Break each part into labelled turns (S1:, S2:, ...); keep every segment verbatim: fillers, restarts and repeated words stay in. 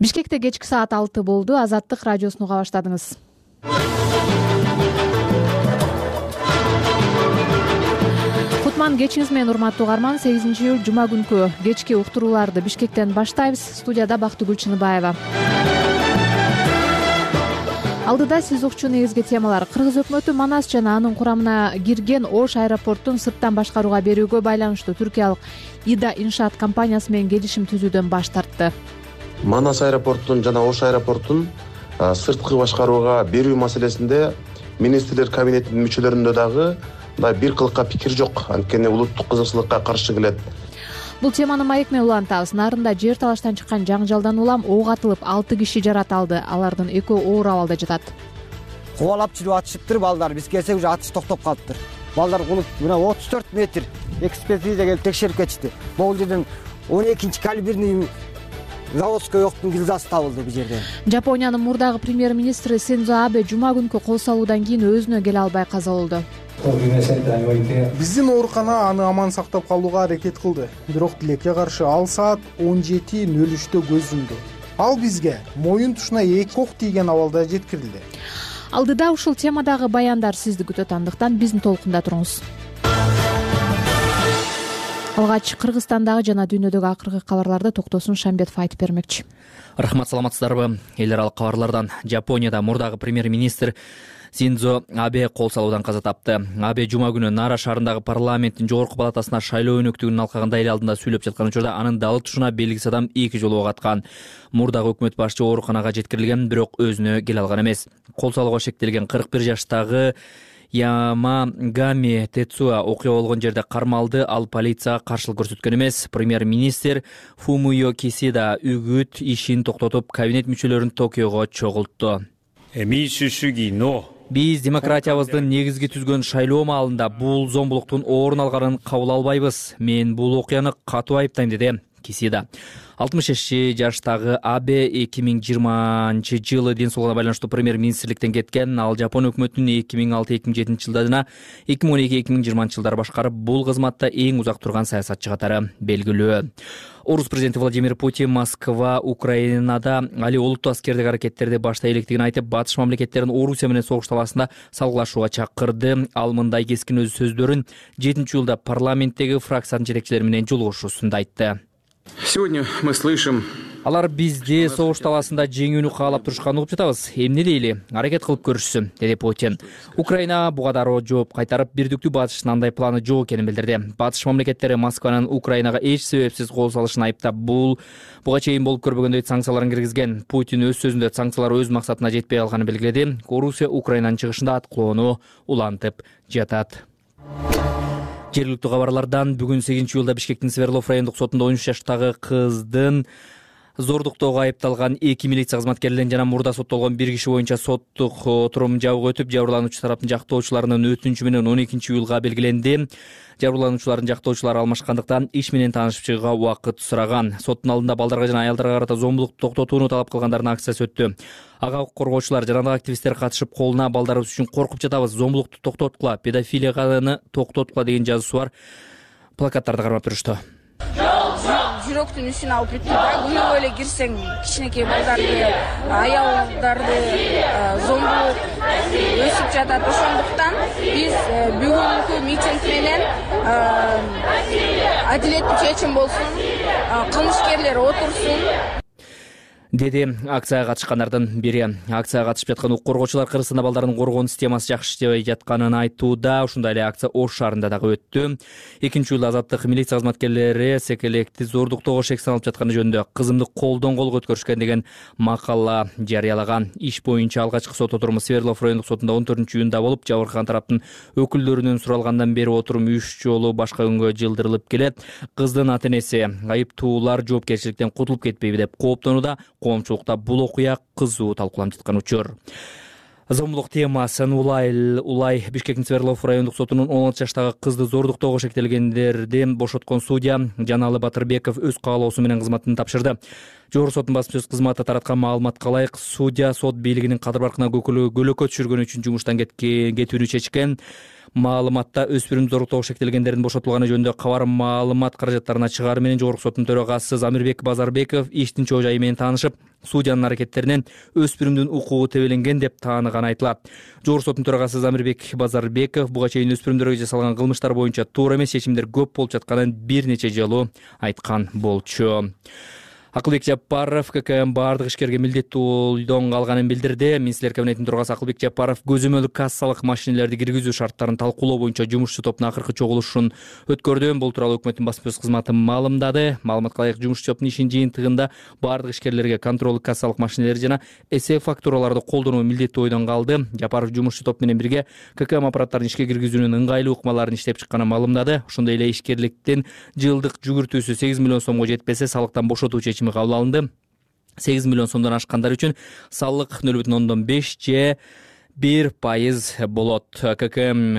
S1: Бишкекте кечки саат алты болду. Азаттык радиосун уга баштадыңыз. Кутман кечиңиз менен урматтуу угарман. сегизинчи июль жума күнкү кечки уктурууларды Бишкектен баштайбыз. Студияда Бактыгүл Чыныбаева. Алдыда сиз укчу негизги темалар. Кыргыз өкмөтү Манас жана анын курамына кирген Ош аэропортун сырттан башкарууга берүүгө байланыштуу түркиялык Ида иншаат компаниясы менен келишим түзүүдөн баш тартты.
S2: Манас аэропортун жана Ош аэропортун сырткы башкарууга берүү маселесинде министрлер кабинетинин мүчөлөрүндө дагы мындай бир кылыкка пикир жок. Анткени улуттук кызыкчылыкка каршы келет.
S1: Бул теманы маек менен улантабыз. Нарында жер талаштан чыккан жаңжалдан улам ок атылып, алты киши жараталды. Алардын экөө оор абалда жатат.
S3: Кубалап жүрүп атышыптыр балдар. Биз келсек уже атыш токтоп калыптыр. Балдар кулуп мына отуз төрт метр экспертиза келип текшерип кетишти. Бул жерден он экинчи калиберный заводской октун гильзасы табылды бул жерден.
S1: Жапониянын мурдагы премьер-министри Синдзо Абе жума күнкү кол салуудан кийин өзүнө келе албай каза болду.
S4: Биздин оорукана аны аман сактап калууга аракет кылды. Бирок тилекке каршы ал саат он жети нөл үчтө көз жумду. Ал бизге моюн тушуна эки ок тийген абалда жеткирилди.
S1: Алдыда ушул темадагы баяндар сизди күтөт, андыктан биздин толкунда туруңуз. Алгач Кыргызстандагы жана дүйнөдөгү акыркы кабарларды Токтосун Шамбетов айтып бермекчи.
S5: Рахмат, саламатсыздарбы? Эл аралык кабарлардан. Жапонияда мурдагы премьер-министр Синдзо Абе кол салуудан каза тапты. Абе жума күнү Нара шаарындагы парламенттин жогорку палатасына шайлоо өнөктүгүн алкагында эл алдында сүйлөп жаткан учурда анын далы тушуна белгисиз адам эки жолу ок аткан. Мурдагы өкмөт башчы ооруканага жеткирилген, бирок өзүнө келе алган эмес. Кол салууга шектелген кырк бир жаштагы Ямагами Тецуа окуя болгон жерде кармалды. Ал полицияга каршылык көрсөткөн эмес. Премьер-министр Фумио Кисида үгүт ишин токтотуп, кабинет мүчөлөрүн Токиого чогултту. Биз демократиябыздын негизги түзгөн шайлоо маалында бул зомбулуктун орун алганын кабыл албайбыз. Мен бул окуяны катуу айыптайм, деди Кисида. алтымыш беш жаштагы Абе эки миң жыйырманчы жылы ден соолугуна байланыштуу премьер-министрликтен кеткен. Ал Жапон өкмөтүнүн эки миң алты эки миң жетинчи жылдарына эки миң он эки эки миң жыйырманчы жылдары башкарып, бул кызматта эң узак турган саясатчы катары белгилүү. Орус президенти Владимир Путин Москва Украинада али олуттуу аскердик аракеттерди баштай электигин айтып, батыш мамлекеттерин Орусия менен согуш талаасында салгылашууга чакырды. Ал мындай кескин өз сөздөрүн жетинчи июлда парламенттеги фракциянын жетекчилери менен жолугушуусунда айтты.
S6: Сегодня мы слышим:
S5: алар бизди согуш талаасында жеңүүнү каалап турушканын угуп жатабыз. Эмне дейли? Аракет кылып көрүшсүн, деди Путин. Украина буга дароо жооп кайтарып, бирдиктүү батыштын андай планы жок экенин билдирди. Батыш мамлекеттери Москванын Украинага эч себепсиз кол салышын айыптап, бул буга чейин болуп көрбөгөндөй санкцияларын киргизген. Путин өз сөзүндө санкциялар өз максатына жетпей калганын белгиледи. Орусия Украинанын чыгышында аткылоону улантып жатат. Жергиликтүү кабарлардан бүгүн сегизинчи июлда Бишкектин Сверлов райондук сотунда он үч жаштагы кыздын зордуктоого айыпталган эки милиция кызматкерлерин жана мурда соттолгон бир киши боюнча соттук отурум жабык өтүп, жабырлануучу тараптын жактоочуларынын өтүнүчү менен он экинчи июлга белгиленди. Жабырлануучулардын жактоочулары алмашкандыктан иш менен таанышып чыгууга убакыт сураган. Соттун алдында балдарга жана аялдарга карата зомбулукту токтотууну талап кылгандардын акциясы өттү. Ага укук коргоочулар жана активисттер катышып, колуна балдарыбыз үчүн коркуп жатабыз, зомбулукту токтоткула, педофилияны токтоткула деген жазуусу бар плакаттарды кармап турушту.
S7: Жүрөктүн ишин алып бүттү да. Күнөө эле кирсең, кичинекей балдарды, аялдарды зомбулук өсүп жатат. Ошондуктан биз бүгүнкү митинг менен адилеттүү чечим болсун, кылмышкерлер отурсун,
S5: деди акцияга катышкандардын бири. Акцияга катышып жаткан укук коргоочулар Кыргызстанда балдардын коргоон системасы жакшы иштебей жатканын айтууда. Ушундай эле акция Ош шаарында дагы өттү. экинчи июлда Азаттык милиция кызматкерлери секелекти зордуктоого шек саналып жатканы жөнүндө кызымды колдон колго өткөрүшкөн деген макала жарыялаган. Иш боюнча алгачкы сот отуруму Сверлов райондук сотунда он төртүнчү июнда болуп, жабыркаган тараптын өкүлдөрүнөн суралгандан бери отурум үч жолу башка күнгө жылдырылып келет. Кыздын ата-энеси айыптуулар жоопкерчиликтен кутулуп кетпейби деп кооптонууда. Коомчулукта бул окуя кызуу талкууланып жаткан учур. Зомбулук темасын улай улай Бишкектин Сверлов райондук сотунун он алты жаштагы кызды зордуктоого шектелгендерди бошоткон судья Жаналы Батырбеков өз каалоосу менен кызматын тапшырды. Жогорку соттун басма сөз кызматы тараткан маалыматка ылайык, судья сот бийлигинин кадыр баркына көлөкө түшүргөн үчүн жумуштан кетүүнү чечкен. маалыматта өспүрүмдү зоруктоого шектелгендердин бошотулганы жөнүндө кабар маалымат каражаттарына чыгары менен Жогорку соттун төрагасы Замирбек Базарбеков иштин чоо жайы менен таанышып, судьянын аракеттеринен өспүрүмдүн укугу тебеленген деп тааныганы айтылат. Жогорку соттун төрагасы Замирбек Базарбеков буга чейин өспүрүмдөргө жасалган кылмыштар боюнча туура эмес чечимдер көп болуп жатканын бир нече жолу айткан болчу. Акылбек Жапаров ККМ бардык ишкерге милдеттүү ойдон калганын билдирди. Министрлер кабинетинин төрагасы Акылбек Жапаров көзөмөлдүк кассалык машинелерди киргизүү шарттарын талкуулоо боюнча жумушчу топтун акыркы чогулушун өткөрдү. Бул тууралуу өкмөттүн басма сөз кызматы маалымдады. Маалыматка ылайык, жумушчу топтун ишин жыйынтыгында бардык ишкерлерге контролдук кассалык машинелер жана эсеп фактураларды колдонуу милдеттүү ойдон калды. Жапаров жумушчу топ менен бирге ККМ аппараттарын ишке киргизүүнүн ыңгайлуу ыкмаларын иштеп чыкканын маалымдады. Ошондой эле ишкерликтин жылдык жүгүртүүсү сегиз миллион сомго жетпесе, салыктан бошотуу чечими кабыл алынды. сегиз миллион сомдон ашкандар үчүн салык нөл бүтүн ондон беш же бир пайыз болот. ККМ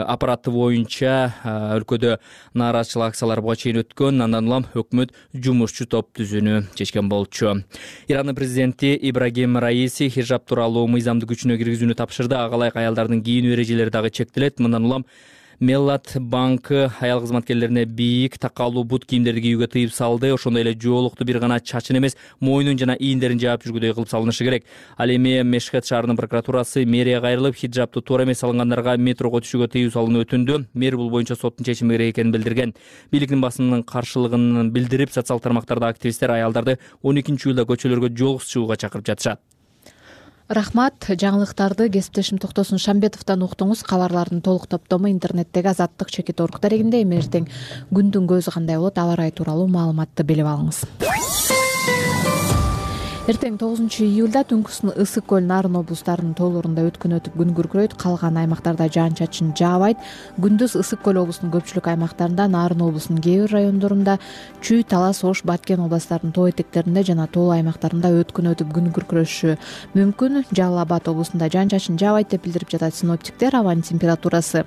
S5: аппараты боюнча өлкөдө нааразычылык акциялары буга чейин өткөн. Андан улам өкмөт жумушчу топ түзүүнү чечкен болчу. Ирандын президенти Ибрагим Раиси хижаб тууралуу мыйзамды күчүнө киргизүүнү тапшырды. Ага ылайык аялдардын кийинүү эрежелери дагы чектелет. Мындан улам Меллат банкы аял кызматкерлерине бийик такалуу бут кийимдерди кийүүгө тыйып салды. Ошондой эле жоолукту бир гана чачын эмес, мойнун жана ийиндерин жаап жүргүдөй кылып салынышы керек. Ал эми Мешхет шаарынын прокуратурасы мэрияга кайрылып, хиджабты туура эмес салынгандарга метрого түшүүгө тыюу салууну өтүндү. Мэр бул боюнча соттун чечими керек экенин билдирген. Бийликтин басынын каршылыгын билдирип, социалдык тармактарда активисттер аялдарды он экинчи июлда көчөлөргө жолугусуп чыгууга чакырып жатышат.
S1: Рахмат. Жаңылыктарды кесиптешим Токтосун Шамбетовдон уктуңуз. Кабарлардын толук топтому интернеттеги Азаттык чекит орг дарегинде. Эми эртең күндүн көзү кандай болот, аба ырайы тууралуу маалыматты билип алыңыз. Эртең тогузунчу июлда түнкүсүн Ысык көл, Нарын облустарынын тоолорунда өткөн өтүп күн күркүрөйт. Калган аймактарда жаан-чачын жаабайт. Күндүз Ысык көл облусунун көпчүлүк аймактарында, Нарын облусунун кээ бир райондорунда, Чүй, Талас, Ош, Баткен областарынын тоо этектеринде жана тоолуу аймактарында өткөн өтүп күн күркүрөшү мүмкүн. Жалал Абад облусунда жаан-чачын жаабайт деп билдирип жатат синоптиктер. Абанын температурасы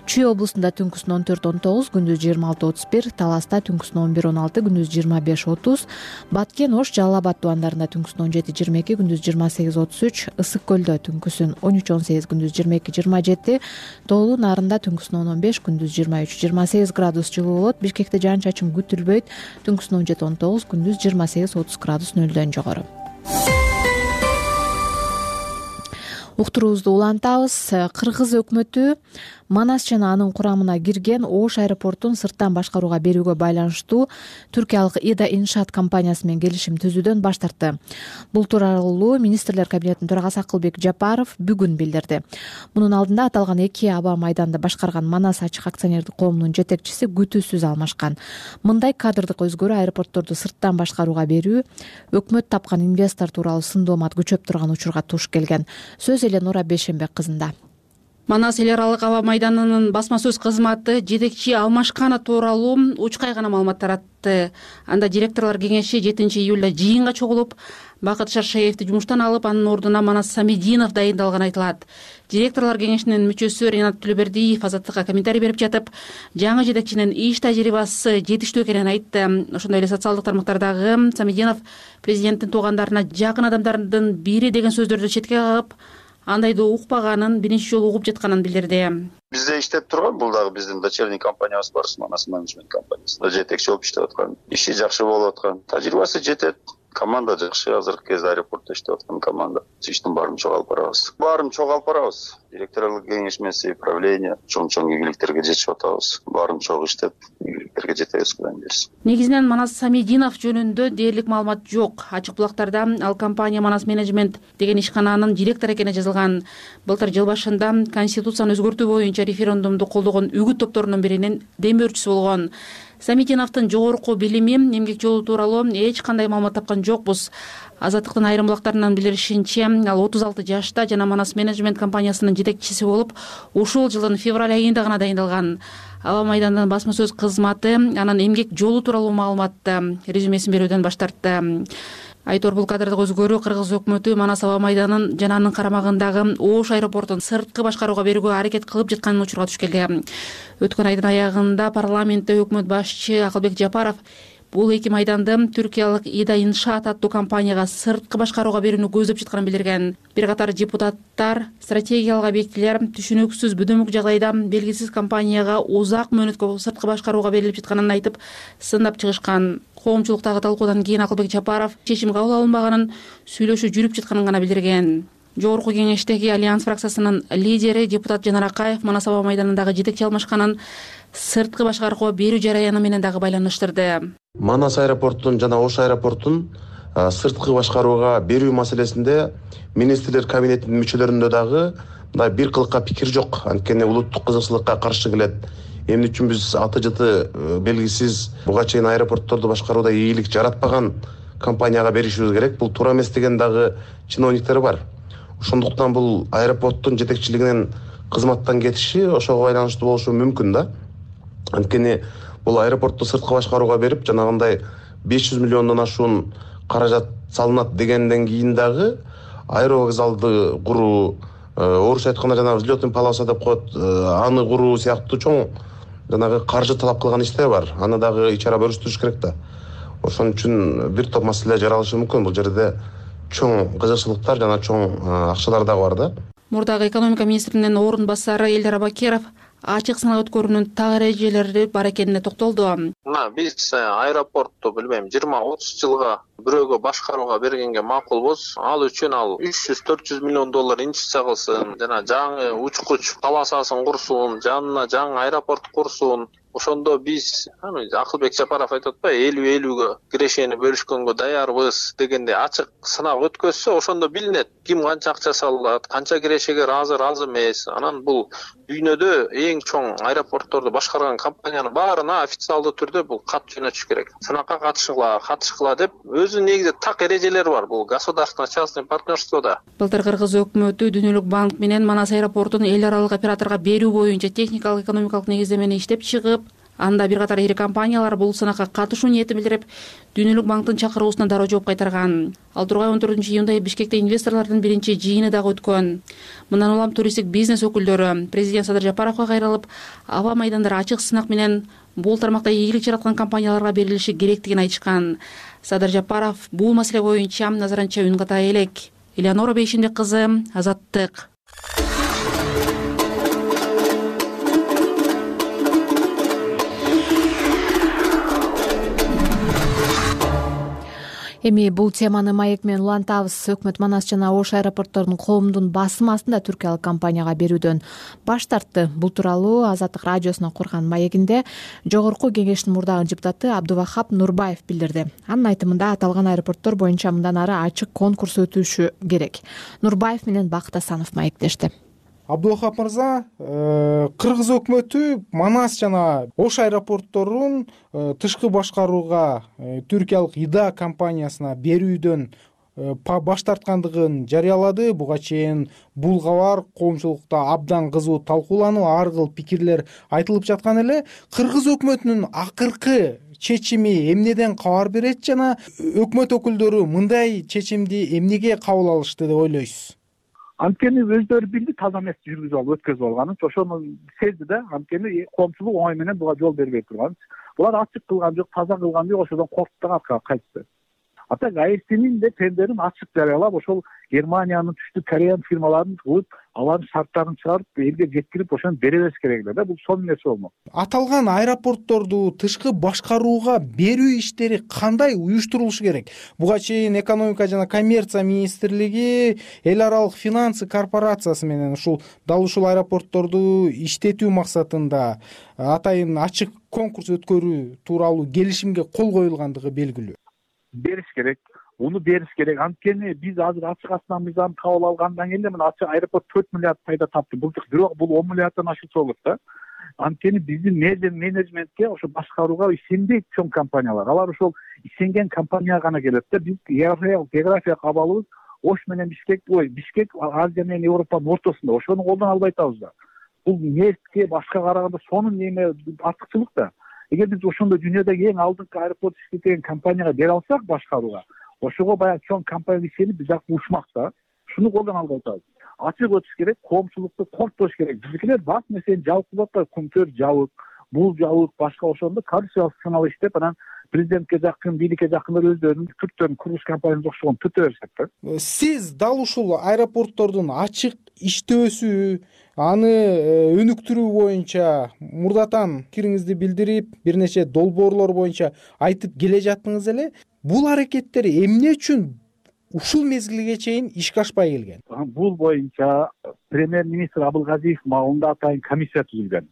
S1: Чүй облусунда түнкүсүн он төрт он тогуз, күндүз жыйырма алты отуз бир, Таласта түнкүсүн он бир он алты, күндүз жыйырма беш отуз, Баткен, Ош, Жалал Абад тубандарында түнкүсүн он жети жыйырма эки, күндүз жыйырма сегиз отуз үч, Ысык көлдө түнкүсүн он үч он сегиз, күндүз жыйырма эки жыйырма жети, Тоолуу Нарында түнкүсүн он он беш, күндүз жыйырма үч жыйырма сегиз градус жылуу болот. Бишкекте жаан-чачын күтүлбөйт. Түнкүсүн он жети он тогуз, күндүз жыйырма сегиз отуз градус нөлдөн жогору. Уктуруубузду улантабыз. Кыргыз өкмөтү Манас жана анын курамына кирген Ош аэропортун сырттан башкарууга берүүгө байланыштуу түркиялык Ида Иншаат компаниясы менен келишим түзүүдөн баш тартты. Бул тууралуу Министрлер кабинетинин төрагасы Акылбек Жапаров бүгүн билдирди. Мунун алдында аталган эки аба майданды башкарган Манас ачык акционердик коомунун жетекчиси күтүүсүз алмашкан. Мындай кадрдык өзгөрүү аэропортторду сырттан башкарууга берүү өкмөт тапкан инвестор тууралуу сындоомат күчөп турган учурга туш келген. Сөз эле Нура Бешенбек кызында.
S8: Манас эл аралык аба майданынын басма сөз кызматы жетекчи алмашканы тууралуу учкай гана маалымат таратты. Анда директорлор кеңеши жетинчи июлда жыйынга чогулуп, Бакыт Шаршаевди жумуштан алып, анын ордуна Манас Самединов дайындалганы айтылат. Директорлор кеңешинин мүчөсү Ренат Түлөбердиев Азаттыкка комментарий берип жатып, жаңы жетекчинин иш тажрыйбасы жетиштүү экенин айтты. Ошондой эле социалдык тармактардагы Самединов президенттин туугандарына жакын адамдардын бири деген сөздөрдү четке кагып, андайды укпаганын, биринчи жолу угуп жатканын билдирди.
S9: Бизде иштеп турган, бул дагы биздин дочерний компаниябыз бар, Манас менеджмент компаниясы. Жетекчи болуп иштеп аткан. Иши жакшы болуп аткан. Тажрыйбасы жетет. Команда жакшы, азыркы кезде аэропортто иштеп аткан команда. Иштин баарын чогуу алып барабыз. Баарын чогуу алып барабыз. Директорлук кеңешмеси, правление, чоң-чоң ийгиликтерге жетип атабыз. Баарын чогуу иштеп, ийгиликтерге жетебиз, Кудайым берсин.
S8: Негизинен Манас Самединов жөнүндө дээрлик маалымат жок. Ачык булактарда ал компания Манас менеджмент деген ишкананын директору экени жазылган. Былтыр жыл башында конституцияны өзгөртүү боюнча референдумду колдогон үгүт топторунун биринин демөөрчүсү болгон. Самединовдун жогорку билими, эмгек жолу тууралуу эч кандай маалымат тапкан жокпуз. Азаттыктын айрым булактарынын билдиришинче, ал отуз алты жашта жана Манас менеджмент компаниясынын жетекчиси болуп, ушул жылдын февраль айында гана дайындалган. Аба майдандын басма сөз кызматы анын эмгек жолу тууралуу маалыматты резюмесин берүүдөн баш тартты. Айтор, бул кадрдык өзгөрүү Кыргыз өкмөтү Манас аба майданын жана анын карамагындагы Ош аэропортун сырткы башкарууга берүүгө аракет кылып жатканын учурга түшкөн. Өткөн айдын аягында парламентте өкмөт башчы Акылбек Жапаров Бул эки майданды түркиялык Ида Иншаат аттуу компанияга сырткы башкарууга берүүнү көздөп жатканын билдирген. Бир катар депутаттар стратегиялык объектилер түшүнүксүз бүдөмүк жагдайда белгисиз компанияга узак мөөнөткө сырткы башкарууга берилип жатканын айтып сындап чыгышкан. Коомчулуктагы талкуудан кийин Акылбек Жапаров чечим кабыл алынбаганын, сүйлөшүү жүрүп жатканын гана билдирген. Жогорку кеңештеги Альянс фракциясынын лидери депутат Жанар Акаев Манас аба майданындагы жетекчи алмашканын сырткы башкарууга берүү жараяны менен дагы байланыштырды.
S2: Манас аэропортун жана Ош аэропортун сырткы башкарууга берүү маселесинде министрлер кабинетинин мүчөлөрүндө дагы мындай бир кылыкка пикир жок. Анткени улуттук кызыкчылыкка каршы келет. Эмне үчүн биз аты жыты белгисиз буга чейин аэропортторду башкарууда ийгилик жаратпаган компанияга беришибиз керек? Бул туура эмес деген дагы чиновниктер бар. Ошондуктан бул аэропорттун жетекчилигинин кызматтан кетиши ошого байланыштуу болушу мүмкүн да. Анткени бул аэропортту сырткы башкарууга берип, жанагындай беш жүз миллиондон ашуун каражат салынат дегенден кийин дагы аэровокзалды куруу, орусча айтканда жана взлетный полоса деп коет, аны куруу сыяктуу чоң жанагы каржы талап кылган иштер бар. Аны дагы ичара бөлүштүрүш керек да. Ошон үчүн бир топ маселе жаралышы мүмкүн. Бул жерде чоң кызыкчылыктар жана чоң акчалар дагы бар да.
S8: Мурдагы экономика министринин орун басары Элдар Абакеров ачык сынак өткөрүүнүн так эрежелери бар экенине токтолду.
S10: Мына биз аэропортту билбейм жыйырма отуз жылга бирөөгө башкарууга бергенге макулбуз. Ал үчүн ал үч жүз төрт жүз миллион доллар инвестиция кылсын, жана жаңы учкуч полосасын курсун, жанына жаңы аэропорт курсун. Ошондо биз Акылбек Жапаров айтып атпайбы, элүү элүүгө кирешени бөлүшкөнгө даярбыз дегенде ачык сынак өткөзсө, ошондо билинет ким канча акча салат, канча кирешеге ыраазы, ыраазы эмес. Анан бул дүйнөдө эң чоң аэропортторду башкарган компаниянын баарына официалдуу түрдө бул кат жөнөтүш керек. Сынакка катышкыла, катышкыла деп өзүнүн негизи так эрежелери бар бул государственный частный партнерстводо.
S8: Былтыр Кыргыз өкмөтү Дүйнөлүк банк менен Манас аэропортун эл аралык операторго берүү боюнча техникалык экономикалык негиздемени иштеп чыгып, анда бир катар ири компаниялар бул сынакка катышуу ниетин билдирип, Дүйнөлүк банктын чакыруусуна дароо жооп кайтарган. Ал тургай он төртүнчү июнда Бишкекте инвесторлордун биринчи жыйыны дагы өткөн. Мындан улам туристтик бизнес өкүлдөрү президент Садыр Жапаровго кайрылып, аба майдандары ачык сынак менен бул тармакта ийгилик жараткан компанияларга берилиши керектигин айтышкан. Садыр Жапаров бул маселе боюнча назаранча үн ката элек. Элеонора Бейшимбек кызы, Азаттык.
S1: Эми бул теманы маек менен улантабыз. Өкмөт Манас жана Ош аэропортторунун коомдун басым астында түркиялык компанияга берүүдөн баш тартты. Бул тууралуу Азаттык радиосуна курган маегинде жогорку кеңештин мурдагы депутаты Абдувахап Нурбаев билдирди. Анын айтымында аталган аэропорттор боюнча мындан ары ачык конкурс өтүшү керек. Нурбаев менен Бакыт Асанов маектешти.
S4: Абдувахап мырза, Кыргыз өкмөтү Манас жана Ош аэропортторун тышкы башкарууга түркиялык Ида компаниясына берүүдөн баш тарткандыгын жарыялады. Буга чейин бул кабар коомчулукта абдан кызуу талкууланып, ар кыл пикирлер айтылып жаткан эле. Кыргыз өкмөтүнүн акыркы чечими эмнеден кабар берет жана өкмөт өкүлдөрү мындай чечимди эмнеге кабыл алышты деп ойлойсуз?
S11: Анткени өздөрү билди таза эмес жүргүзүп алып өткөзүп алганын, ошону сезди да. Анткени коомчулук оңой менен буга жол бербей турган. Булар ачык кылган жок, таза кылган жок, ошодон корктуп да кайтты. Ата АЭСтин де тендерин ачык жарыялап, ошол Германиянын, Түштүк Кореянын фирмаларын кылып, алардын шарттарын чыгарып, элге жеткирип, ошону бере бериш керек эле да. Бул сонун нерсе болмок.
S4: Аталган аэропортторду тышкы башкарууга берүү иштери кандай уюштурулушу керек? Буга чейин экономика жана коммерция министрлиги эл аралык финансы корпорациясы менен ушул дал ушул аэропортторду иштетүү максатында атайын ачык конкурс өткөрүү тууралуу келишимге кол коюлгандыгы белгилүү.
S11: Бериш керек, уну бериш керек. Анткени биз азыр ачык астана мыйзамын кабыл алгандан кийин мына ачык аэропорт төрт миллиард пайда тапты. Бирок бул он миллиарддан ашылса болот да. Анткени биздин менеджментке, ошо башкарууга ишенбейт чоң компаниялар. Алар ошол ишенген компанияга гана келет да. Биз география абалыбыз Ош менен Бишкек, ой, Бишкек Азия менен Европанын ортосунда. Ошону колдон албай атабыз да. Бул нефтке башка караганда сонун неме артыкчылык да. Эгер биз ошондо дүйнөдөгү эң алдыңкы аэропорт иштеткен компанияга бере алсак башкарууга, ошого баягы чоң компания ишенип биз жакы ушмак да. Шуну колдон албай атабыз. Ачык өтүш керек, коомчулукту коркутуш керек. Биздикилер бак нерсени жабык кылып атпайбы, күнтөр жабык, бул жабык, башка ошондо коррупциялык сценал иштеп, анан президентке жакын, бийликке жакындар өздөрүнүн түрктөрүн курулуш компаниясы окшогон түртө беришет да.
S4: Сиз дал ушул аэропорттордун ачык иштөөсү, аны өнүктүрүү боюнча мурдатан пикириңизди билдирип, бир нече долбоорлор боюнча айтып келе жаттыңыз эле. Бул аракеттер эмне үчүн ушул мезгилге чейин ишке ашпай келген?
S11: Бул боюнча премьер-министр Абылгазиев маалында атайын комиссия түзүлгөн.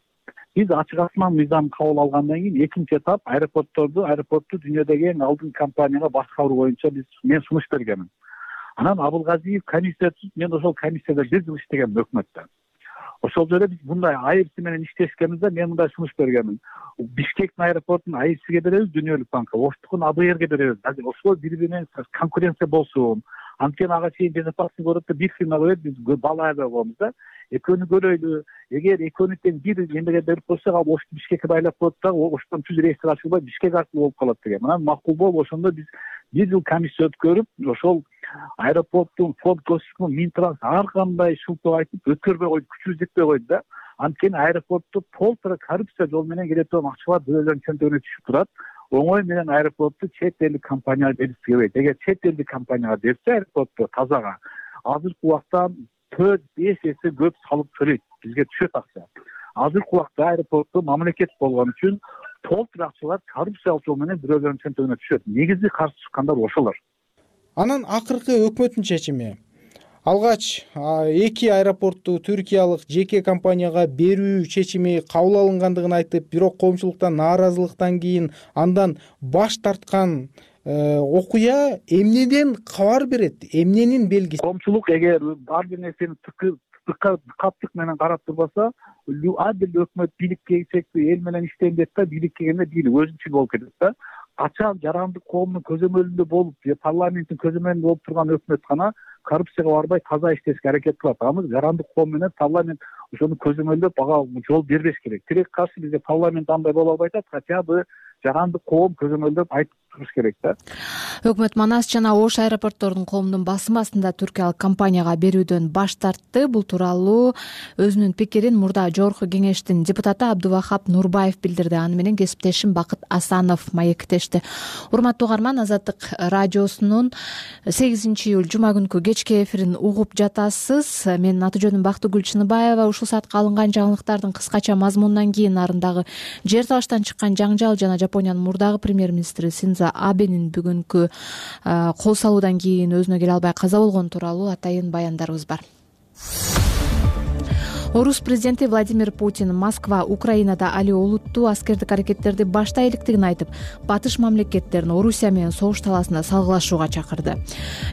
S11: Биз ачык асман мыйзамын кабыл алгандан кийин экинчи этап аэропортторду, аэропортту дүйнөдөгү эң алдыңкы компанияга башкаруу боюнча биз мен сунуш бергенмин. Анан Абылгазиев комиссия түзүп, мен ошол комиссияда бир жыл иштегенмин өкмөттө. Ошол жерде биз мындай айыбсы менен иштешкенбизде мен мындай сунуш бергенмин. Бишкектин аэропортун айыбсыга беребиз, Дүнөлүк банкка, Оштукун А Б Р'ге беребиз. Ошол бири менен конкуренция болсун. Анткени ага чейин безопасность көрөт да бир фирма коет, биз бала айда болобуз да. Экөөнү көрөйлү. Эгер экөөнү тең бир эмеге берип койсок, ал Ошту Бишкекке байлап коет да, Оштон түз рейстер ачылбай Бишкек аркылуу болуп калат деген. Анан макул болуп, ошондо биз бир жыл комиссия өткөрүп, ошол аэропорттун фонд көчүшүн Минтранс ар кандай шылтоо айтып өткөрбөй койду, күчүбүз жетпей койду да. Анткени аэропортто полтора коррупция жол менен келе турган акчалар бирөөлөрдүн чөнтөгүнө түшүп турат. Оңой менен аэропортту чет элдик компанияга бериши келбейт. Эгер чет элдик компанияга берсе аэропортто тазага, азыркы убакта төрт беш эсе көп салык төлөйт, бизге түшөт акча. Азыркы убакта аэропортто мамлекет болгон үчүн толтур акчалар коррупциялык жол менен бирөөлөрдүн чөнтөгүнө түшөт. Негизи каршы чыккандар ошолор.
S4: Анан акыркы өкмөттүн чечими. Алгач эки аэропортту түркиялык жеке компанияга берүү чечими кабыл алынгандыгын айтып, бирок коомчулуктан нааразылыктан кийин андан баш тарткан окуя эмнеден кабар берет? Эмненин белгиси?
S11: Коомчулук эгер ар бир нерсени каттык менен карап турбаса, адил өкмөт бийликке келсекти, эл менен иштейм дейт да, бийликке келгенде бийлик өзүнчүл болуп кетет да. Качан жарандык коомдун көзөмөлүндө болуп, парламенттин көзөмөлүндө болуп турган өкмөт гана коррупцияга барбай таза иштешке аракет кылат. Амыз жарандык коом менен парламент ошону көзөмөлдөп ага жол бербеш керек. Тирек каршы бизде парламент андай боло албай атат, хотя бы жарандык коом көзөмөлдөп айтып туруш керек да.
S1: Өкмөт Манас жана Ош аэропорттордун коомдун басым астында түркиялык компанияга берүүдөн баш тартты. Бул тууралуу өзүнүн пикирин мурда жогорку кеңештин депутаты Абдувахап Нурбаев билдирди. Аны менен кесиптешим Бакыт Асанов маектешти. Урматтуу угарман, Азаттык радиосунун сегизинчи июль жума күнкү кечки эфирин угуп жатасыз. Менин аты жөнүм Бактыгүл Чыныбаева. Ушул саатка алынган жаңылыктардын кыскача мазмунунан кийин нарындагы жер талаштан чыккан жаңжал жана Жапониянын мурдагы премьер-министри Синдзо Абенин бүгүнкү кол салуудан кийин өзүнө келе албай каза болгон тууралуу атайын баяндарыбыз бар. Орус президенти Владимир Путин Москва Украинада али олуттуу аскердик аракеттерди баштай электигин айтып, батыш мамлекеттерин Орусия менен согуш талаасында салгылашууга чакырды.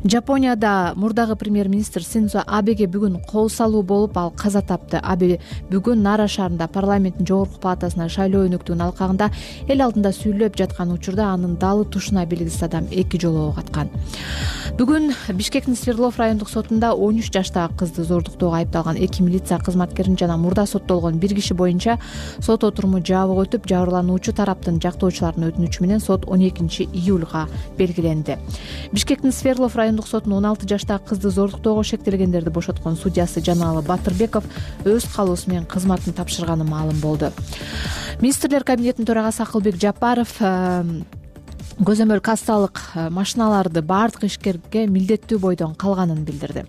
S1: Жапонияда мурдагы премьер-министр Синдзо Абеге бүгүн кол салуу болуп, ал каза тапты. Абе бүгүн Нара шаарында парламенттин жогорку палатасына шайлоо өнүктүгүнүн алкагында эл алдында сүйлөп жаткан учурда анын далы тушуна белгисиз адам эки жолу ок аткан. Бүгүн Бишкектин Свердлов райондук сотунда он үч жаштагы кызды зордуктоого айыпталган эки милиция кызматкерин жана мурда соттолгон бир киши боюнча сот отуруму жабык өтүп, жабырлануучу тараптын жактоочуларынын өтүнүчү менен сот он экинчи июлга белгиленди. Бишкектин Свердлов райондук сотунун он алты жаштагы кызды зордуктоого шектелгендерди бошоткон судьясы Жаналы Батырбеков өз каалоосу менен кызматын тапшырганы маалым болду. Министрлер кабинетинин төрагасы Акылбек Жапаров көзөмөл кассалык машиналарды баардык ишкерге милдеттүү бойдон калганын билдирди.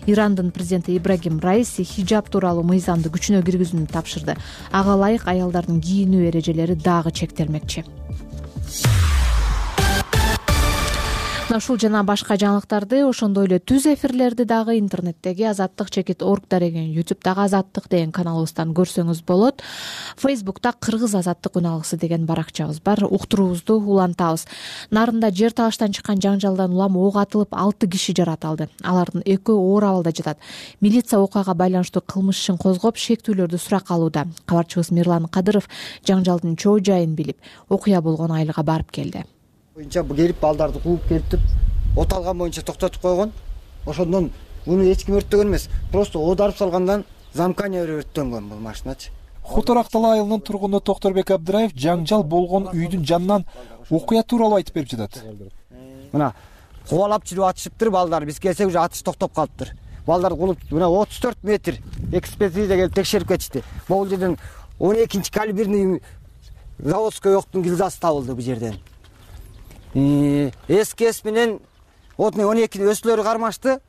S1: Ирандын президенти Ибрагим Раиси хиджаб тууралуу мыйзамды күчүнө киргизүүнү тапшырды. Ага ылайык аялдардын кийинүү эрежелери дагы чектелмекчи. Ушул жана башка жаңылыктарды, ошондой эле түз эфирлерди дагы интернеттеги азаттык чекит орг деген, ютубтагы азаттык деген каналыбыздан көрсөңүз болот. Фейсбукта кыргыз азаттык үн алгысы деген баракчабыз бар. Уктуруубузду улантабыз. Нарында жер талаштан чыккан жаңжалдан улам ок атылып, алты киши жаратылды. Алардын экөө оор абалда жатат. Милиция окуяга байланыштуу кылмыш ишин козгоп, шектүүлөрдү сурак алууда. Кабарчыбыз Мирлан Кадыров жаңжалдын чоо жайын билип, окуя болгон айылга барып келди.
S3: Боюнча келип балдарды кууп келип, от алган боюнча токтотуп койгон. Ошондон муну эч ким өрттөгөн эмес. Просто оодарып салгандан замкания өрттөнгөн бул машиначы.
S12: Хуторак Тала айылынын тургуну Токторбек Абдыраев жаңжал болгон үйдүн жанынан окуя тууралуу айтып берип жатат.
S3: Мына кубалап жүрүп атышыптыр балдар. Биз келсек уже атыш токтоп калыптыр. Балдар кулуп мына отуз төрт метр экспертиза келип текшерип кетишти. Бул жерден он экинчи калиберный заводской октун гильзасы табылды бул жерден. СКС менен он эки өсүлөрү кармашты.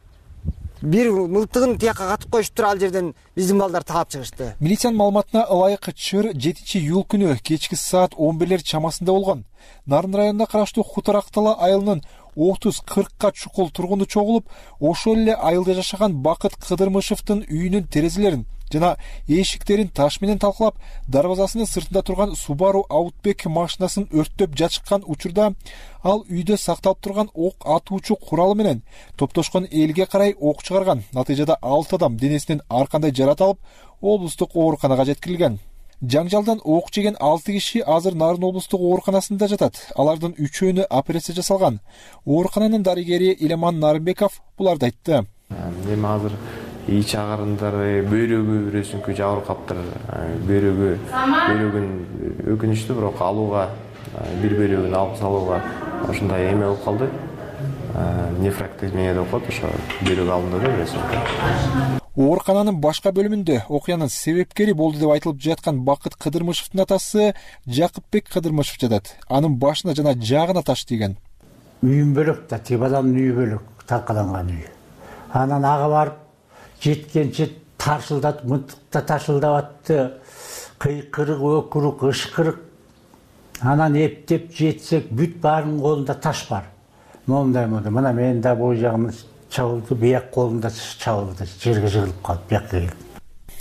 S3: Бир мылтыгын тияка катып коюштур, ал жерден биздин балдар таап чыгышты.
S12: Милициянын маалыматына ылайык чыр жетинчи июль күнү кечки саат он бирлер чамасында болгон. Нарын районуна караштуу Хутарактала айылынын отуз кыркка чукул тургуну чогулуп, ошол эле айылда жашаган Бакыт Кыдырмышевдин үйүнүн терезелерин жана эшиктерин таш менен талкалап, дарбазасынын сыртында турган Subaru Outback машинасын өрттөп жатышкан учурда ал үйдө сакталып турган ок атуучу куралы менен топтошкон элге карай ок чыгарган. Натыйжада алты адам денесинен ар кандай жарат алып, облустук ооруканага жеткирилген. Жаңжалдан ок жеген алты киши азыр Нарын облустук ооруканасында жатат. Алардын үчөөнү операция жасалган. Оорукананын дарыгери Илеман Нарынбеков буларды айтты.
S13: Эми азыр ич агарындары, бөйрөгү бирөөсүнкү жабырып каптыр. Бөйрөгү, бөйрөгүн өкүнүчтүү, бирок алууга, бир бөйрөгүн алып салууга ошондой эме болуп калды. Нефрактомия деп коет, ошо бөйрөк алынды да бирөөсүнкү.
S12: Оорукананын башка бөлүмүндө окуянын себепкери болду деп айтылып жаткан Бакыт Кыдырмышевдин атасы Жакыпбек Кыдырмышев жатат. Анын башына жана жаагына таш тийген.
S14: Үйүм бөлөк да, тиги баланын үйү бөлөк, таркаланган үй. Анан ага барып жеткенче таршылдатып, мынтыкта таршылдап атты. Кыйкырык, өкүрүк, ышкырык. Анан эптеп жетсек, бүт баарынын колунда таш бар. Момундай мондай, мына мен да бул жагым чабылды, бияк колумда чабылды, жерге жыгылып калып, бияка келип.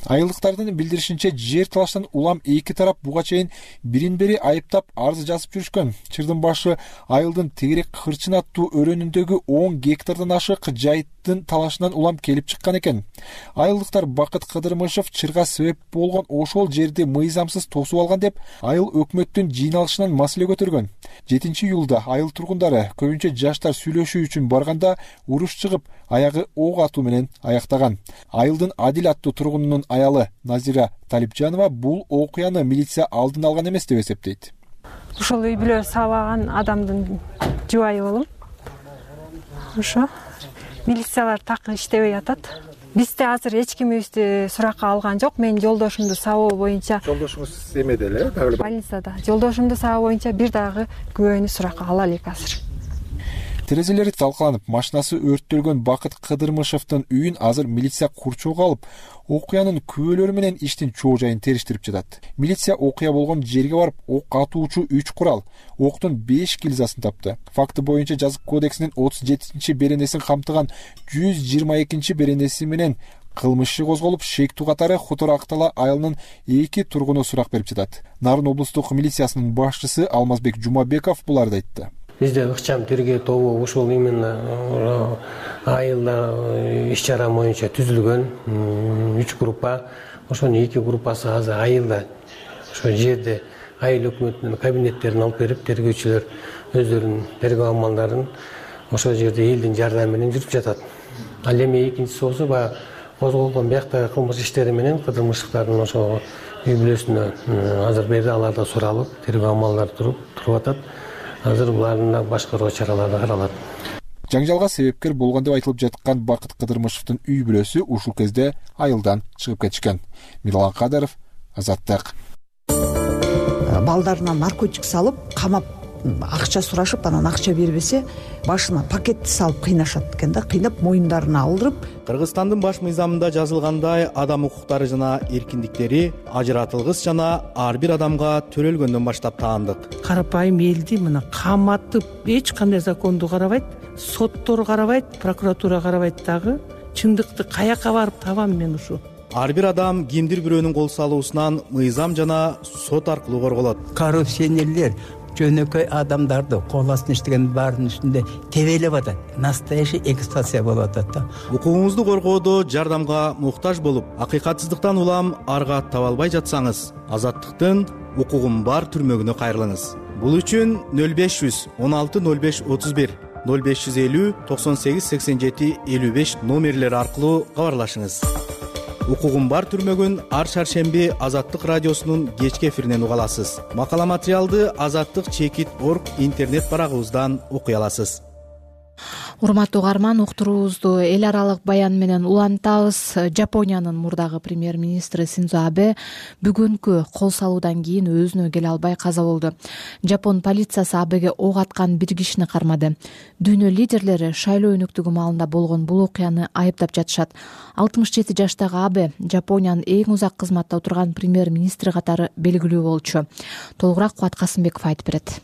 S12: Айылдыктардын билдиришинче, жер талаштан улам эки тарап буга чейин бирин-бири айыптап арыз жазып жүрүшкөн. Чырдын башы айылдын Тегерек Кырчын аттуу өрөөнүндөгү он гектардан ашык жайыттын талашынан улам келип чыккан экен. Айылдыктар Бакыт Кыдырмышев чырга себеп болгон ошол жерди мыйзамсыз тосуп алган деп айыл өкмөттүн жыйналышынан маселе көтөргөн. жетинчи июлда айыл тургундары көбүнчө жаштар сүйлөшүү үчүн барганда уруш чыгып, аягы ок атуу менен аяктаган. Айылдын Адил аттуу тургунунун аялы Назира Талипжанова бул окуяны милиция алдын алган эмес деп эсептейт.
S15: Ошол үй бүлө сабаган адамдын жубайы болом. Ошо милициялар так иштебей атат. Бизде азыр эч кимибизди суракка алган жок. Мен жолдошумду сабоо боюнча.
S12: Жолдошуңуз эмеде эле?
S15: Больницада. Жолдошумду сабоо боюнча бир дагы күбөнү суракка ала элек азыр.
S12: Терезелери талкаланып, машинасы өрттөлгөн Бакыт Кыдырмышевдин үйүн азыр милиция курчоого алып, окуянын күбөлөрү менен иштин чоо жайын териштирип жатат. Милиция окуя болгон жерге барып, ок атуучу үч курал, октун беш гильзасын тапты. Факты боюнча жазык кодексинин отуз жетинчи беренесин камтыган жүз жыйырма экинчи беренеси менен кылмыш иши козголуп, шектүү катары Хутарактала айылынын эки тургуну сурак берип жатат. Нарын облустук милициясынын башчысы Алмазбек Жумабеков буларды айтты.
S16: Бизде ыкчам тергөө тобу ушул именно айылда иш чара боюнча түзүлгөн үч группа. Ошонун эки группасы азыр айылда ошо жерде айыл өкмөтүнүн кабинеттерин алып берип, тергөөчүлөр өздөрүнүн тергөө амалдарын ошол жерде элдин жардамы менен жүрүп жатат. Ал эми экинчиси болсо баягы козголгон бияктагы кылмыш иштери менен Кыдырмышевдин ошо үй бүлөсүнө азыр берди, аларда суралып, тергөө амалдары туруп туруп атат. Азыр булардын башкаруу чаралары каралат.
S12: Жаңжалга себепкер болгон деп айтылып жаткан Бакыт Кыдырмышевдин үй бүлөсү ушул кезде айылдан чыгып кетишкен. Мирлан Кадыров, Азаттык.
S17: Балдарына наркотик салып, камап, акча сурашып, анан акча бербесе, башына пакетти салып кыйнашат экен да, кыйнап моюндарына алдырып.
S18: Кыргызстандын баш мыйзамында жазылгандай, адам укуктары жана эркиндиктери ажыратылгыс жана ар бир адамга төрөлгөндөн баштап таандык.
S19: Карапайым элди мына каматып, эч кандай законду карабайт, соттор карабайт, прокуратура карабайт дагы. Чындыкты каяка барып табам мен ушу?
S18: Ар бир адам кимдир бирөөнүн кол салуусунан мыйзам жана сот аркылуу корголот.
S20: Коррупционерлер жөнөкөй адамдарды кол астына иштеген баарынын үстүндө тебелеп атат. Настоящий эксплуатация болуп атат да.
S18: Укугуңузду коргоодо жардамга муктаж болуп, акыйкатсыздыктан улам арга таба албай жатсаңыз, Азаттыктын укугум бар түрмөгүнө кайрылыңыз. Бул үчүн нөл беш жүз он алты нөл беш отуз бир, нөл беш жүз элүү токсон сегиз сексен жети элүү беш номерлери аркылуу кабарлашыңыз. Укугум бар түрмөгүн ар шаршемби Азаттык радиосунун кечки эфиринен уга аласыз. Макала материалды азаттык чекит точка орг интернет барагыбыздан окуй аласыз.
S1: урматтуу угарман, уктуруубузду эл аралык баян менен улантабыз. Жапониянын мурдагы премьер-министри Синдзо Абе бүгүнкү кол салуудан кийин өзүнө келе албай каза болду. Жапон полициясы Абеге ок аткан бир кишини кармады. Дүйнө лидерлери шайлоо өнүктүгү маалында болгон бул окуяны айыптап жатышат. алтымыш жети жаштагы Абе Жапониянын эң узак кызматта отурган премьер-министри катары белгилүү болчу. Толугураак Кубат Касымбеков айтып берет.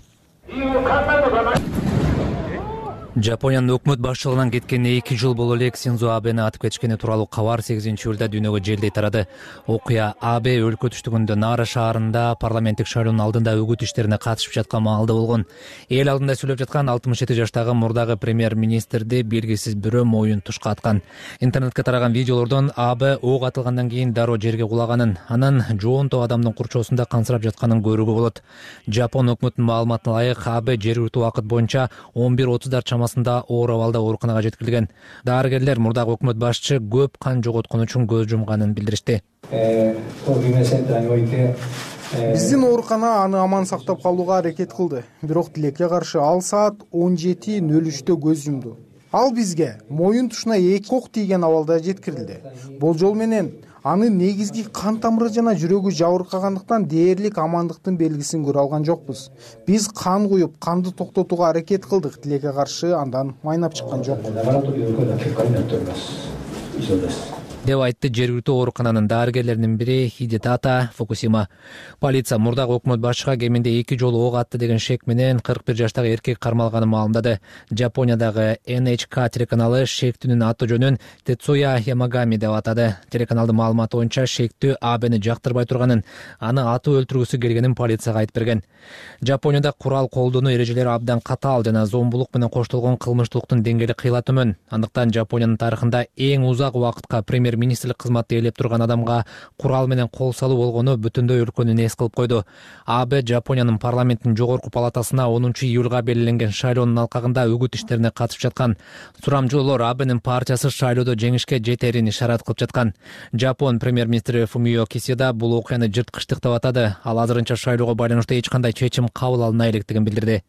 S5: Жапониянын өкмөт башчылыгынан кеткенине эки жыл боло элек Синдзо Абени атып кетишкени тууралуу кабар сегизинчи июлда дүйнөгө желдей тарады. Окуя Абе өлкө түштүгүндө Нара шаарында парламенттик шайлоонун алдында үгүт иштерине катышып жаткан маалда болгон. Эл алдында сүйлөп жаткан алтымыш жети жаштагы мурдагы премьер-министрди белгисиз бирөө моюн тушка аткан. Интернетке тараган видеолордон Абе ок атылгандан кийин дароо жерге кулаганын, анан жоонто адамдын курчоосунда кансырап жатканын көрүүгө болот. Жапон өкмөтүнүн маалыматына ылайык, Абе жергиликтүү убакыт боюнча он бир отуздар чамасында оор абалда ооруканага жеткирилген. Дарыгерлер мурдагы өкмөт башчы көп кан жоготкон үчүн көз жумганын билдиришти.
S4: Биздин оорукана аны аман сактап калууга аракет кылды. Бирок тилекке каршы ал саат он жети нөл үчтө көз жумду. Ал бизге моюн тушуна эки ок тийген абалда жеткирилди. Болжол менен анын негизги кан тамыры жана жүрөгү жабыркагандыктан дээрлик амандыктын белгисин көрө алган жокпуз. Биз кан куюп, канды токтотууга аракет кылдык, тилекке каршы андан майнап чыккан жок
S5: деп айтты жергиликтүү оорукананын дарыгерлеринин бири Хидетата Фукусима. Полиция мурдагы өкмөт башчыга кеминде эки жолу ок атты деген шек менен кырк бир жаштагы эркек кармалганын маалымдады. Жапониядагы Эн Эйч К телеканалы шектүүнүн аты жөнүн Тецуя Ямагами деп атады. Телеканалдын маалыматы боюнча шектүү Абени жактырбай турганын, аны атып өлтүргүсү келгенин полицияга айтып берген. Жапонияда курал колдонуу эрежелери абдан катаал жана зомбулук менен коштолгон кылмыштуулуктун деңгээли кыйла төмөн. Андыктан Жапониянын тарыхында эң узак убакытка премьер-министрлик кызматты ээлеп турган адамга курал менен кол салуу болгону бүтүндөй өлкөнү нес кылып койду. Абе Жапониянын парламенттин жогорку палатасына онунчу июлга белгиленген шайлоонун алкагында үгүт иштерине катышып жаткан. Сурамжылоолор Абенин партиясы шайлоодо жеңишке жетерин ишарат кылып жаткан. Жапон премьер-министри Фумио Кисида бул окуяны жырткычтык деп атады. Ал азырынча шайлоого байланыштуу эч кандай чечим кабыл алына электигин билдирди.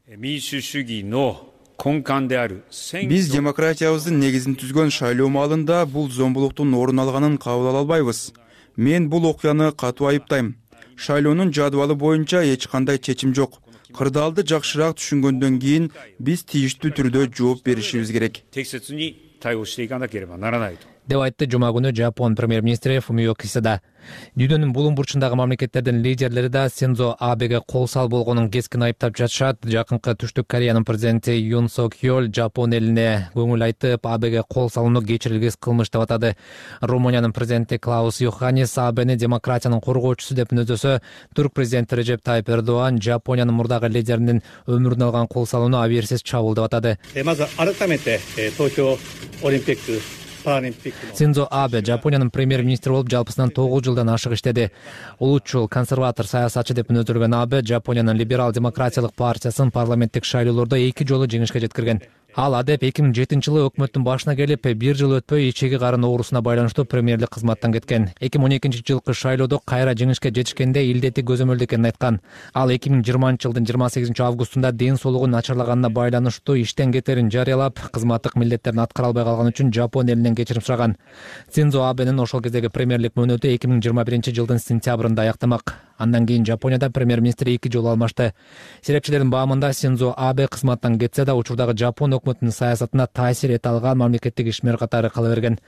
S21: Биз демократиябыздын негизин түзгөн шайлоо маалында бул зомбулуктун орун алганын кабыл ала албайбыз. Мен бул окуяны катуу айыптайм. Шайлоонун жадыбалы боюнча эч кандай чечим жок. Кырдаалды жакшыраак түшүнгөндөн кийин биз тийиштүү түрдө жооп беришибиз керек
S5: деп айтты жума күнү Жапон премьер-министри Фумио Кисида. Дүйнөнүн булуң бурчундагы мамлекеттердин лидерлери да Синдзо Абеге кол сал болгонун кескин айыптап жатышат. Жакынкы Түштүк Кореянын президенти Юн Сок Йол Жапон элине көңүл айтып, Абеге кол салууну кечирилгис кылмыш деп атады. Румыниянын президенти Клаус Йоханнис Абени демократиянын коргоочусу деп мүнөздөсө, Түрк президенти Режеп Тайып Эрдоган Жапониянын мурдагы лидеринин өмүрүнө алган кол салууну абийирсиз чабуул деп атады. Синдзо Абе Жапониянын премьер-министри болуп жалпысынан тогуз жылдан ашык иштеди. Улутчул консерватор саясатчы деп мүнөздөлгөн Абе Жапониянын либерал демократиялык партиясын парламенттик шайлоолордо эки жолу жеңишке жеткирген. Ал адеп эки миң жетинчи жылы өкмөттүн башына келип, бир жыл өтпөй ичеги карын оорусуна байланыштуу премьерлик кызматтан кеткен. эки миң он экинчи жылкы шайлоодо кайра жеңишке жетишкенде илдети көзөмөлдө экенин айткан. Ал эки миң жыйырманчы жылдын жыйырма сегизинчи августунда ден соолугу начарлаганына байланыштуу иштен кетерин жарыялап, кызматтык милдеттерин аткара албай калган үчүн Жапон элинен кечирим сураган. Синдзо Абенин ошол кездеги премьерлик мөөнөтү эки миң жыйырма биринчи жылдын сентябрында аяктамак. Андан кийин Жапонияда премьер-министр эки жолу алмашты. Серепчилердин баамында Синдзо Абе кызматтан кетсе да, учурдагы Жапон өкмөтүнүн саясатына таасир эте алган мамлекеттик ишмер катары кала берген.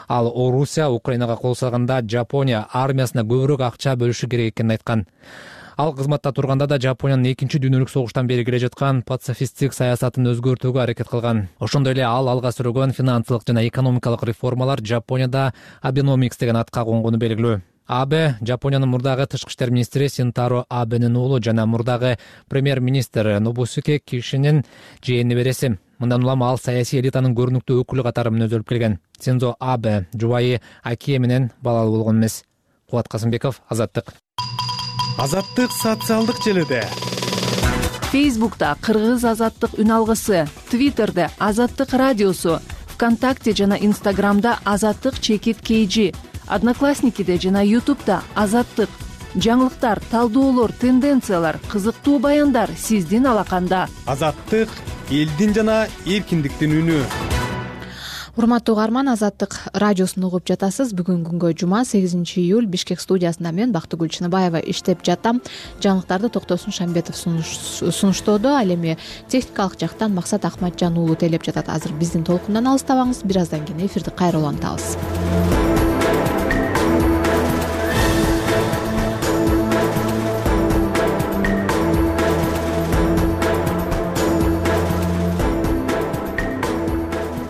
S5: Ал Орусия Украинага кол салганда Жапония армиясына көбүрөөк акча бөлүшү керек экенин айткан. Ал кызматта турганда да Жапониянын экинчи дүйнөлүк согуштан бери келе жаткан пацифисттик саясатын өзгөртүүгө аракет кылган. Ошондой эле ал алга сүргөн финансылык жана экономикалык реформалар Жапонияда Абеномикс деген атка конгону белгилүү. Абе Жапониянын мурдагы тышкы иштер министри Синтаро Абенин уулу жана мурдагы премьер-министр Нобусуке Кишинин жээни береси. Мындан улам ал саясий элитанын көрүнүктүү өкүлү катары мүнөздөлүп келген. Синдзо Абе жубайы Акие менен балалуу болгон эмес. Кубат Касымбеков, Азаттык.
S18: Азаттык социалдык желиде.
S22: Фейсбукта Кыргыз Азаттык үн алгысы, Твиттерде Азаттык радиосу, ВКонтакте жана Инстаграмда Азаттык чекит кейжи, Одноклассникиде жана Ютубта Азаттык. Жаңылыктар, талдоолор, тенденциялар, кызыктуу баяндар сиздин алаканда.
S18: Азаттык элдин жана эркиндиктин үнү.
S1: урматтуу угарман, Азаттык радиосун угуп жатасыз. Бүгүн күнгө жума сегизинчи июль Бишкек студиясында мен Бактыгүл Чыныбаева иштеп жатам. Жаңылыктарды Токтосун Шамбетов сунуштоодо. Ал эми техникалык жактан Максат Акматжан уулу тейлеп жатат. Азыр биздин толкундан алыстабаңыз. Бир аздан кийин эфирди кайра улантабыз.